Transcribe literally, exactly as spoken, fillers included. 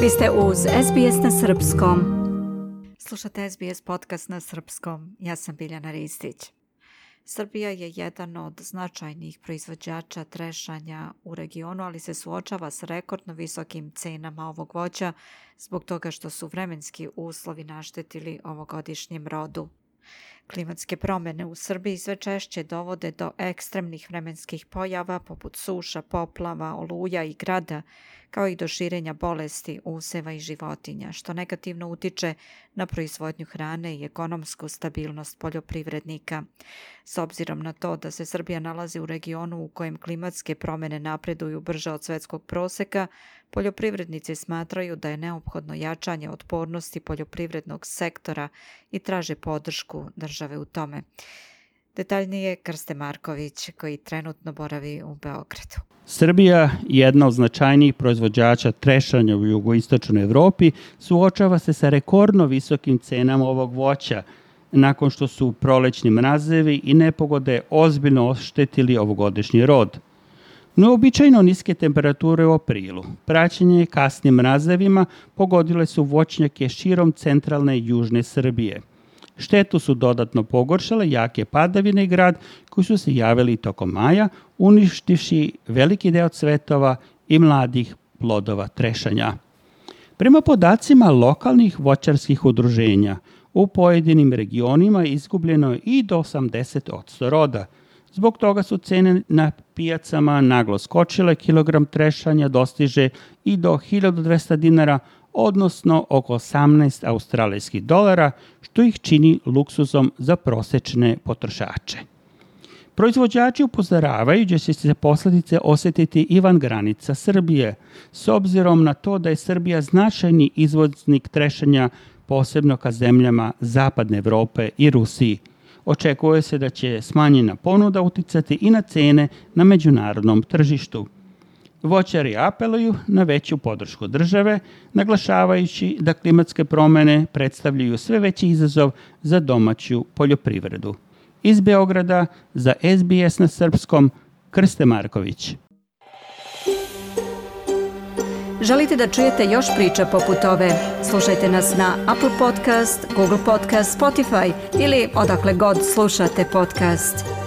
Vi ste uz S B S na srpskom. Slušate S B S podcast na srpskom. Ja sam Biljana Ristić. Srbija je jedan od značajnih proizvođača trešanja u regionu, ali se suočava s rekordno visokim cenama ovog voća zbog toga što su vremenski uslovi naštetili ovogodišnjem rodu. Klimatske promjene u Srbiji sve češće dovode do ekstremnih vremenskih pojava poput suša, poplava, oluja i grada, kao i do širenja bolesti useva i životinja, što negativno utiče na proizvodnju hrane i ekonomsku stabilnost poljoprivrednika. S obzirom na to da se Srbija nalazi u regionu u kojem klimatske promjene napreduju brže od svetskog proseka, poljoprivrednici smatraju da je neophodno jačanje otpornosti poljoprivrednog sektora i traže podršku države u tome. Detaljnije Krste Marković, koji trenutno boravi u Beogradu. Srbija, jedna od značajnijih proizvođača trešanja u jugoistočnoj Evropi, suočava se sa rekordno visokim cenama ovog voća, nakon što su prolećni mrazevi i nepogode ozbiljno oštetili ovogodišnji rod. Neobičajno niske temperature u aprilu, praćenje kasnim mrazevima, pogodile su voćnjake širom centralne i južne Srbije. Štetu su dodatno pogoršale jake padavine i grad koji su se javili tokom maja, uništivši veliki deo cvetova i mladih plodova trešanja. Prema podacima lokalnih voćarskih udruženja, u pojedinim regionima izgubljeno je i do osamdeset posto roda. Zbog toga su cene na pijacama naglo skočile, kilogram trešanja dostiže i do hiljadu dvesta dinara, odnosno oko osamnaest australijskih dolara, što ih čini luksuzom za prosečne potrošače. Proizvođači upozoravaju da će se posljedice osjetiti i van granica Srbije, s obzirom na to da je Srbija značajni izvoznik trešanja, posebno ka zemljama Zapadne Evrope i Rusiji. Očekuje se da će smanjena ponuda uticati i na cene na međunarodnom tržištu. Voćari apeluju na veću podršku države, naglašavajući da klimatske promjene predstavljaju sve veći izazov za domaću poljoprivredu. Iz Beograda za S B S na srpskom, Krste Marković. Želite da čujete još priča poput ove? Slušajte nas na Apple Podcast, Google Podcast, Spotify ili odakle god slušate podcast.